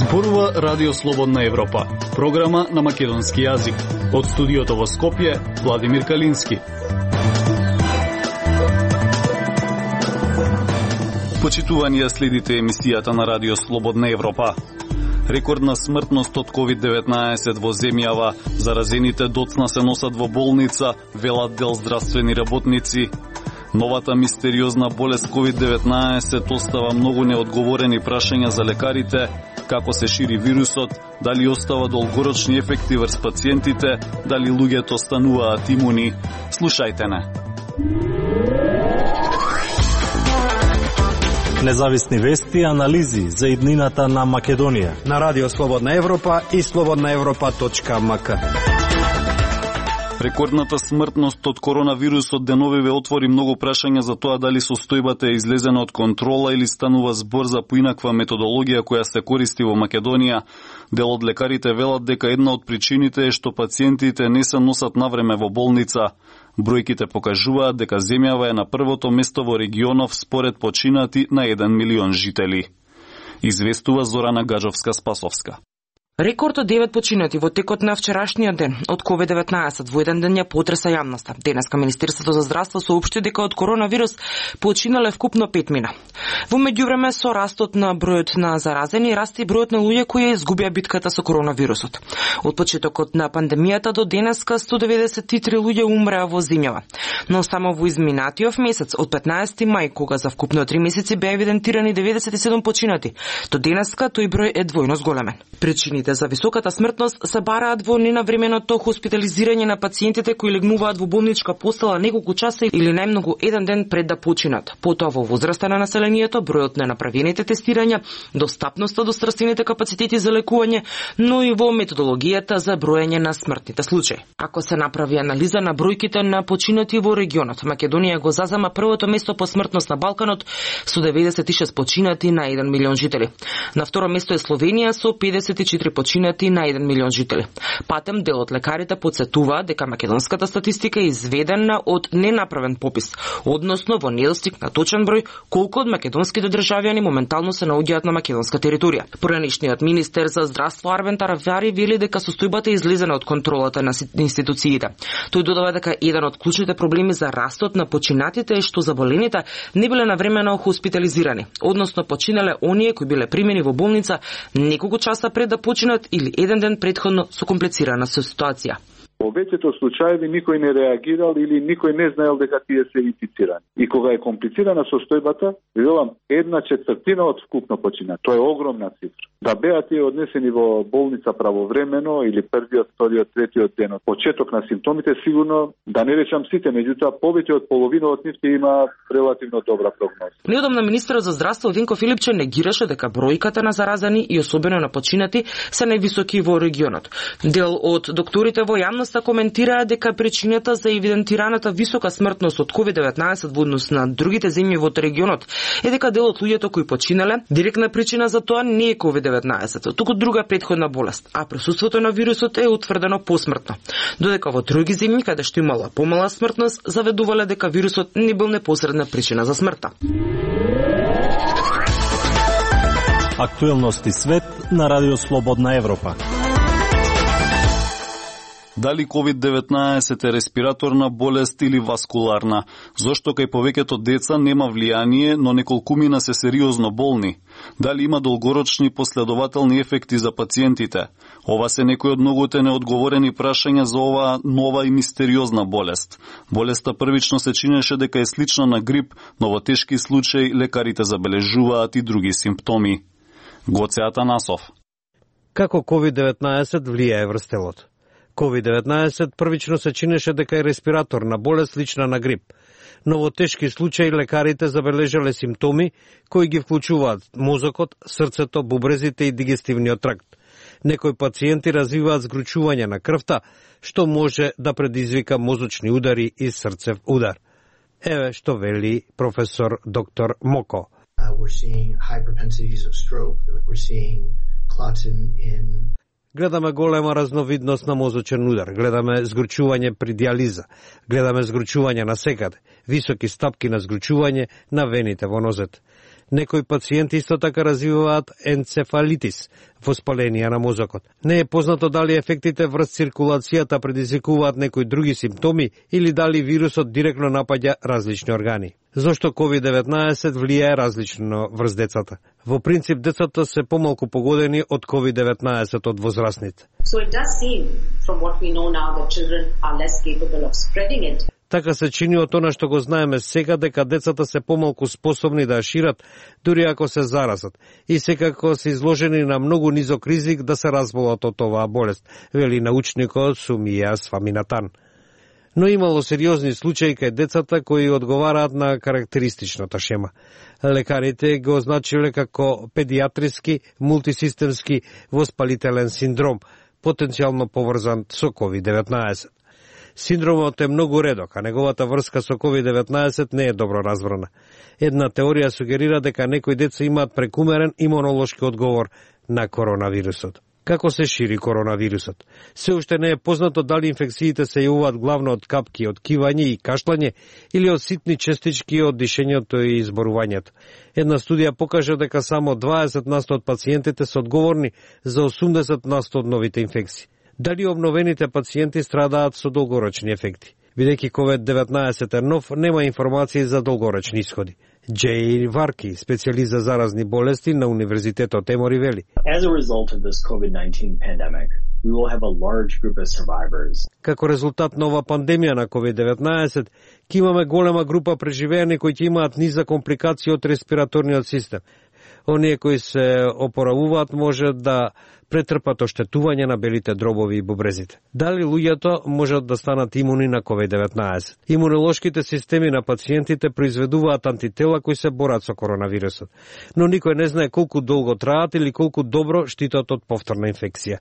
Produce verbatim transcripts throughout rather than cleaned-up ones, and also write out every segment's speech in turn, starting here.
Зборува Радио Слободна Европа, програма на македонски јазик. Од студиото во Скопје, Владимир Калински. Почитувани, следите емисијата на Радио Слободна Европа. Рекордна смртност од ковид деветнаесет во земјава, заразените доцна се носат во болница, велат дел здравствени работници. Новата мистериозна болест ковид деветнаесет остава многу неодговорени прашања за лекарите, како се шири вирусот, дали остава долгорочни ефекти врз пациентите, дали луѓето стануваат имуни. Слушајте не. Независни вести и анализи за иднината на Македонија на Радио Слободна Европа и слободна европа точка ем ка. Рекордната смртност од коронавирусот деновиве отвори многу прашања за тоа дали состојбата е излезена од контрола или станува збор за поинаква методологија која се користи во Македонија. Дел од лекарите велат дека една од причините е што пациентите не се носат навреме во болница. Бројките покажуваат дека земјава е на првото место во регионов според починати на еден милион жители. Известува Зорана Гаджовска-Спасовска. Рекорд од девет починати во текот на вчерашниот ден од ковид деветнаесет во еден ден ја потреса јавноста. Денеска Министерството за здравство соопшти дека од коронавирус починале вкупно пет мина. Во меѓувреме со растот на бројот на заразени расте и бројот на луѓе кои изгубија битката со коронавирусот. Од почетокот на пандемијата до денеска сто деветдесет и три луѓе умреа во земјава. Но само во изминатиот месец од петнаесети мај, кога за вкупно три месеци беа евидентирани деветдесет и седум починати, до денеска тој број е двојно зголемен. Причините за високата смртност се бараат во ненавременото хоспитализирање на пациентите кои легнуваат во болничка постела неколку часа или најмногу еден ден пред да починат. Потоа во возраста на населението, бројот на направените тестирања, достапноста до здравствените капацитети за лекување, но и во методологијата за броење на смртните случаи. Ако се направи анализа на бројките на починати во регионот, Македонија го зазема првото место по смртност на Балканот со деветдесет и шест починати на еден милион жители. На второ место е Словенија со педесет и четири починати на еден милион жители. Патем дел од лекарите потсетува дека македонската статистика е изведена од ненаправен попис, односно во недостиг на точен број колку од македонските државјани моментално се наоѓаат на македонска територија. Поранешниот министер за здравство Арвен Таравјари вели дека состојбата е излезена од контролата на институциите. Тој додава дека еден од клучните проблеми за растот на починатите е што заболените не биле навремено хоспитализирани, односно починале оние кои биле примени во болница неколку часа пред да починат или еден ден претходно со комплицирана ситуација. Во веќето случаеви никој не реагирал или никој не знаел дека тие се инфицирани. И кога е комплицирана состојбата, велам една четвртина од вкупно почина. Тоа е огромна цифра. Да беа тие однесени во болница правовремено или првиот, вториот, третиот ден од почеток на симптомите, сигурно, да не речам сите, меѓутоа повеќе од половина од нив има релативно добра прогноза. Неодамна министерот за здравство Винко Филипче негираше дека бројката на заразени и особено на починати се највисоки во регионот. Дел од докторите во јавноста коментираа дека причината за евидентираната висока смртност од ковид деветнаесет во однос на другите земји во регионот е дека дел од луѓето кои починале, директна причина за тоа не е ковид деветнаесет, туку друга претходна болест, а присуството на вирусот е утврдено посмртно. Додека во други земји каде што имала помала смртност, заведувале дека вирусот не бил непосредна причина за смртта. Актуелности свет на Радио Слободна Европа. Дали ковид деветнаесет е респираторна болест или васкуларна? Зошто кај повеќето деца нема влијание, но неколкумина се сериозно болни? Дали има долгорочни последователни ефекти за пациентите? Ова се некои од многуте неодговорени прашања за оваа нова и мистериозна болест. Болеста првично се чинеше дека е слична на грип, но во тешки случаи лекарите забележуваат и други симптоми. Гоце Атанасов. Како ковид деветнаесет влијае врз телото? ковид деветнаесет првично се чинеше дека е респираторна болест слична на грип, но во тешки случаи лекарите забележале симптоми кои ги вклучуваат мозокот, срцето, бубрезите и дигестивниот тракт. Некои пациенти развиваат згручување на крвта, што може да предизвика мозочни удари и срцев удар. Еве што вели професор доктор Моко. Uh, we're seeing high propensities of stroke, we're seeing clots in, in Гледаме голема разновидност на мозочен удар, гледаме згручување при диализа, гледаме згручување на секаде, високи стапки на згручување на вените во нозет. Некои пациенти исто така развиваат енцефалитис, воспаление на мозокот. Не е познато дали ефектите врз циркулацијата предизвикуваат некои други симптоми или дали вирусот директно напаѓа различни органи. Зошто ковид деветнаесет влијае различно врз децата? Во принцип, децата се помалку погодени од ковид деветнаесет од возрастните. So it does seem, from what we know now, that children are less capable of spreading it. Така се чини од она што го знаеме сега, дека децата се помалку способни да шират, дури ако се заразат, и секако се изложени на многу низок ризик да се разболат од оваа болест, вели научникот Сумија Сваминатан. Но имало сериозни случаи кај децата кои одговараат на карактеристичната шема. Лекарите го означиле како педиатриски мултисистемски воспалителен синдром, потенцијално поврзан со ковид деветнаесет. Синдромот е многу редок, а неговата врска со ковид деветнаесет не е добро разбрана. Една теорија сугерира дека некои деца имаат прекумерен имунолошки одговор на коронавирусот. Како се шири коронавирусот? Се уште не е познато дали инфекциите се јавуваат главно од капки од кивање и кашлање или од ситни честички од дишењето и изборувањето. Една студија покажа дека само дваесет на сто од пациентите се одговорни за осумдесет на сто од новите инфекции. Дали обновените пациенти страдаат со долгорочни ефекти? Бидејќи ковид деветнаесет е нов, нема информации за долгорочни исходи. Джей Варки, специјалист за заразни болести на Универзитетот Емори, вели. As a result of this COVID nineteen pandemic, we will have a large group of survivors. Како резултат на ова пандемија на ковид деветнаесет, ќе имаме голема група преживеани кои ќе имаат низа компликации од респираторниот систем. Оние кои се опоравуваат може да претрпат оштетување на белите дробови и бубрезите. Дали луѓето можат да станат имуни на ковид деветнаесет? Имунолошките системи на пациентите произведуваат антитела кои се борат со коронавирусот, но никој не знае колку долго траат или колку добро штитат од повторна инфекција.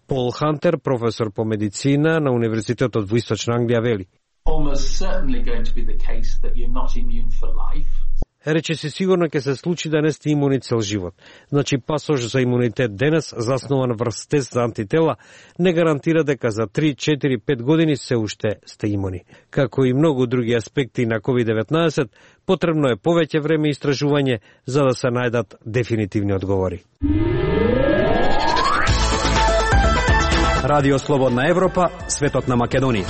Пол Хантер, професор по медицина на Универзитетот во Источна Англија, вели. Almost certainly going to be the case that you're not immune for life. Рече се сигурно ќе се случи да не сте имуни цел живот. Значи пасош за имунитет денес, заснован врз тест за антитела, не гарантира дека за три, четири, пет години се уште сте имуни. Како и многу други аспекти на ковид деветнаесет, потребно е повеќе време и истражување за да се најдат дефинитивни одговори. Радио Слободна Европа, светот на Македонија.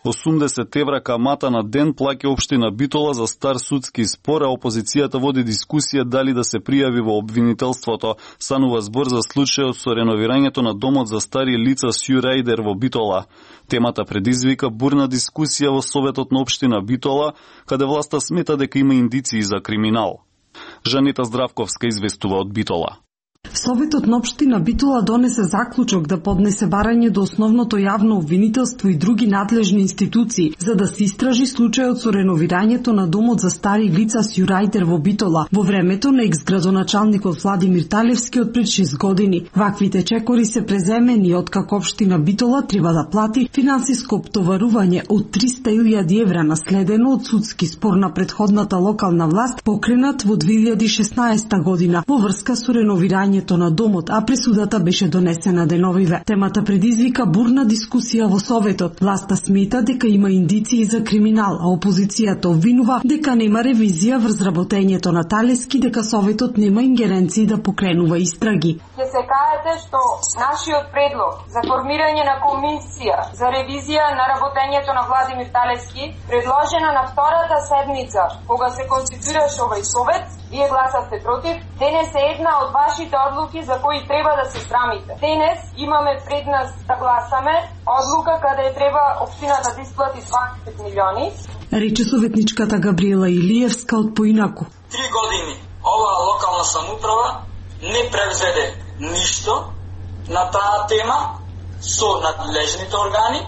осумдесет евра камата на ден плаќа општина Битола за стар судски спор, а опозицијата води дискусија дали да се пријави во обвинителството. Станува збор за случајот со реновирањето на домот за стари лица Сјурајдер во Битола. Темата предизвика бурна дискусија во Советот на општина Битола, каде власта смета дека има индиции за криминал. Жанета Здравковска известува од Битола. Советот на општина Битола донесе заклучок да поднесе барање до основното јавно обвинителство и други надлежни институции за да се истражи случајот со реновирањето на домот за стари лица Сјурајдер во Битола во времето на екс-градоначалникот Владимир Талевски од пред шест години. Ваквите чекори се преземени откако општина Битола треба да плати финансиско оптоварување од триста илјади евра наследено од судски спор на претходната локална власт покренат во две илјади и шеснаесета година во врска со реновирање на домот, а пресудата беше донесена деновиве. Темата предизвика бурна дискусија во Советот. Власта смета дека има индиции за криминал, а опозицијата обвинува дека нема ревизија врз работењето на Талески, дека Советот нема ингеренции да покренува истраги. Ќе се кажете што нашиот предлог за формирање на комисија за ревизија на работењето на Владимир Талески, предложена на втората седмица кога се конституираше овој совет, вие гласавте против. Денес е една од вашите одлуки за кои треба да се срамите. Денес имаме пред нас да гласаме одлука каде треба општината да исплати дваесет милиони. Рече советничката Габриела Илиевска од Поинаку. Три години оваа локална самоуправа не превзеде ништо на таа тема со надлежните органи.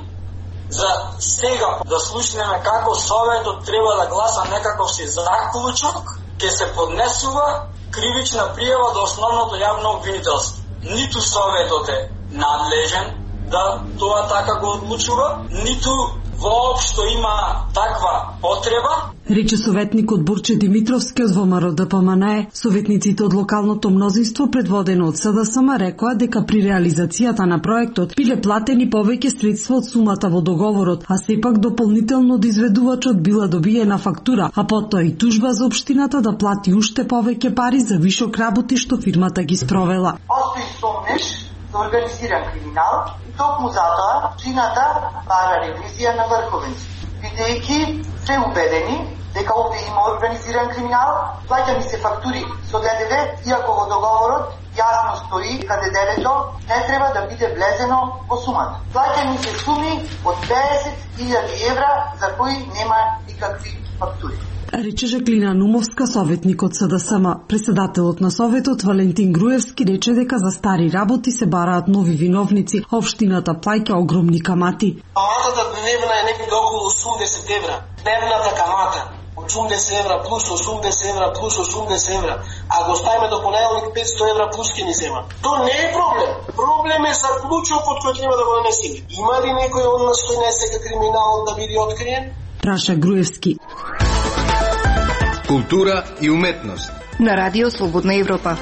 За сега да слушнеме како Советот треба да гласа некаков си заклучок, ќе се поднесува кривична пријава до основното јавно обвинителство. Ниту Советот е надлежен да тоа така го одлучува, ниту воопшто има таква потреба. Рече советникот Борче Димитровски од ВМРО Д П М Н Е. Советниците од локалното мнозинство предводено од С Д С М рекоа дека при реализацијата на проектот биле платени повеќе средства од сумата во договорот, а сепак дополнително од изведувачот била добиена фактура, а потоа и тужба за општината да плати уште повеќе пари за вишок работи што фирмата ги спровела. Постои сомнеш за организиран криминал и токму затоа општината бара ревизија на врховенство. Бидејќи се убедени дека овде има организиран криминал, плаќани се фактури со Д Д В, иако во договорот јасно стои дека Д Д В-то не треба да биде влезено во сумата. Плаќани се суми од педесет илјади евра за кои нема никакви фактури. Рече Жаклина Нумовска, советник од С Д С М. Председателот на советот Валентин Груевски рече дека за стари работи се бараат нови виновници, а општината плаќа огромни камати. Каматата дневна е некаде околу осумдесет евра. Дневната камата осумдесет евра плюс осумдесет евра плюс осумдесет евра, а го ставиме до понеделник петстотини евра плюс ке ни зема. То не е проблем. Проблем е за ключов од кој треба да го намесиме. Има ли некој од нас кој не сека криминал да биде откриен? Праша Груевски. Култура и уметност на Радио Слободна Европа.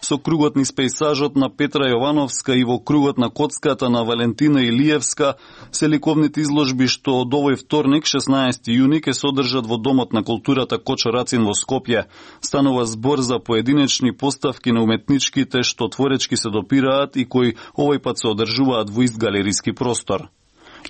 Со кругот низ пејзажот на Петра Јовановска и во кругот на коцката на Валентина Илиевска се ликовните изложби што од овој вторник, шеснаесети јуни, ќе се одржат во Домот на културата Кочо Рацин во Скопје. Станува збор за поединечни поставки на уметничките што творечки се допираат и кои овој пат се одржуваат во ист галериски простор.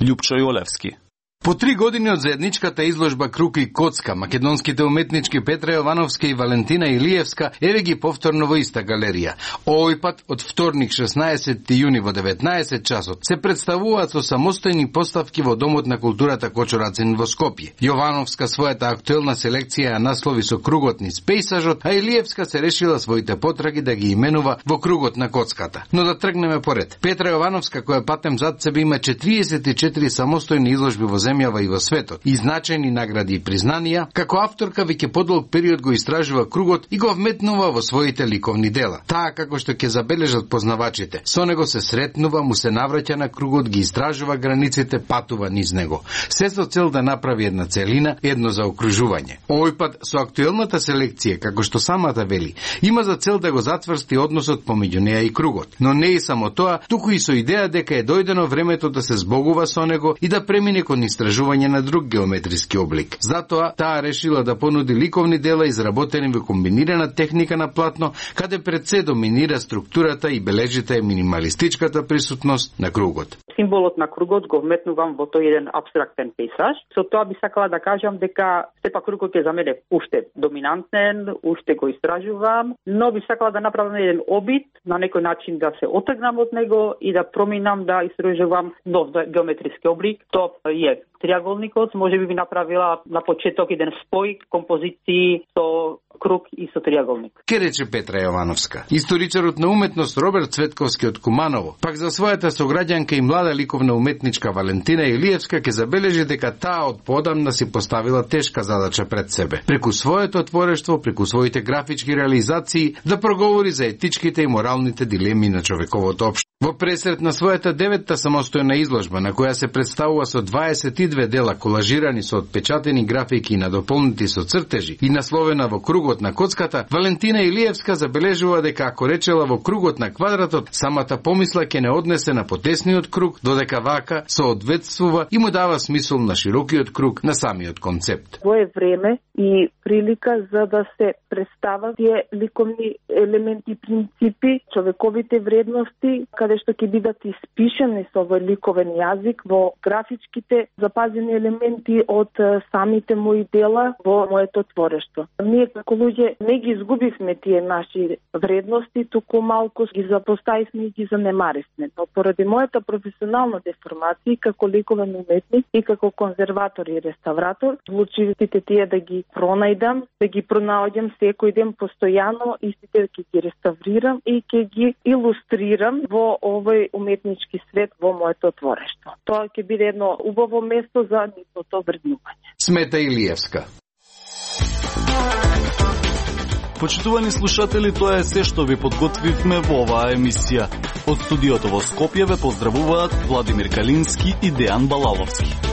Љупчо Јолевски. По три години од заедничката изложба Круг и коцка, македонските уметнички Петра Јовановска и Валентина Илиевска еве ги повторно во иста галерија. Овој пат од вторник шеснаесети јуни во деветнаесет часот се представуваат со самостојни поставки во Домот на културата Кочо Рацин во Скопје. Јовановска својата актуелна селекција ја наслови со Кругот низ пејзажот, а Илиевска се решила своите потраги да ги именува во Кругот на коцката. Но да тргнеме поред. Петра Јовановска, која патем зад себе има четириесет и четири самостојни изложби во земјава и во светот, и значајни награди и признанија, како авторка веќе подолг период го истражува кругот и го вметнува во своите ликовни дела. Таа како што ќе забележат познавачите, со него се сретнува, му се навраќа на кругот, ги истражува границите, патува низ него. Се со цел да направи една целина, едно заокружување. Овој пат со актуелната селекција, како што самата вели, има за цел да го затврсти односот помеѓу неа и кругот. Но не и само тоа, туку и со идеја дека е дојдено времето да се збогува со него и да премине кон истражување на друг геометриски облик. Затоа таа решила да понуди ликовни дела изработени во комбинирана техника на платно, каде пред се доминира структурата и бележите е минималистичката присутност на кругот. Символот на кругот го вметнувам во тој еден апстрактен пејзаж. Со тоа би сакала да кажам дека сепак кругот е за мене уште доминантен, уште го истражувам, но би сакала да направам еден обид на некој начин да се отргнам од него и да проминам да истражувам нов геометриски облик. Тоа е триаголникот, може би би направила на почеток еден спој композиции со круг и со триаголник. Ке рече Петра Јовановска. Историчарот на уметност Роберт Цветковски од Куманово, пак за својата сограѓанка и млада ликовна уметничка Валентина Илиевска ке забележи дека таа од подамна си поставила тешка задача пред себе. Преку своето творештво, преку своите графички реализации, да проговори за етичките и моралните дилеми на човековото општество. Во пресрет на својата деветта самостојна изложба, на која се представува со дваесет и две дела колажирани со отпечатени графики и надополнети со цртежи и насловена во кругот на коцката, Валентина Илиевска забележува дека ако речела во кругот на квадратот, самата помисла ќе не однесе на потесниот круг, додека вака соодветствува и му дава смисол на широкиот круг на самиот концепт. Во е време и прилика за да се представат тие ликовни елементи, принципи, човековите вредности, каде што ќе бидат испишени со овој ликовен јазик во графичките запазени елементи од самите мои дела во моето творештво. Ние како луѓе не ги изгубивме тие наши вредности, туку малку ги запоставивме и ги занемаривме. Но поради мојата професионална деформација како ликовен уметник и како конзерватор и реставратор, случаите тие да ги пронајдам, да ги пронаоѓам секој ден постојано, истите ќе ги реставрирам и ќе ги илустрирам во овој уметнички свет во моето творештво. Тоа ќе биде едно убаво место за нивното вреднување. Смета Илиевска. Почитувани слушатели, тоа е се што ви подготвивме во оваа емисија. Од студиото во Скопје ве поздравуваат Владимир Калински и Дејан Балаловски.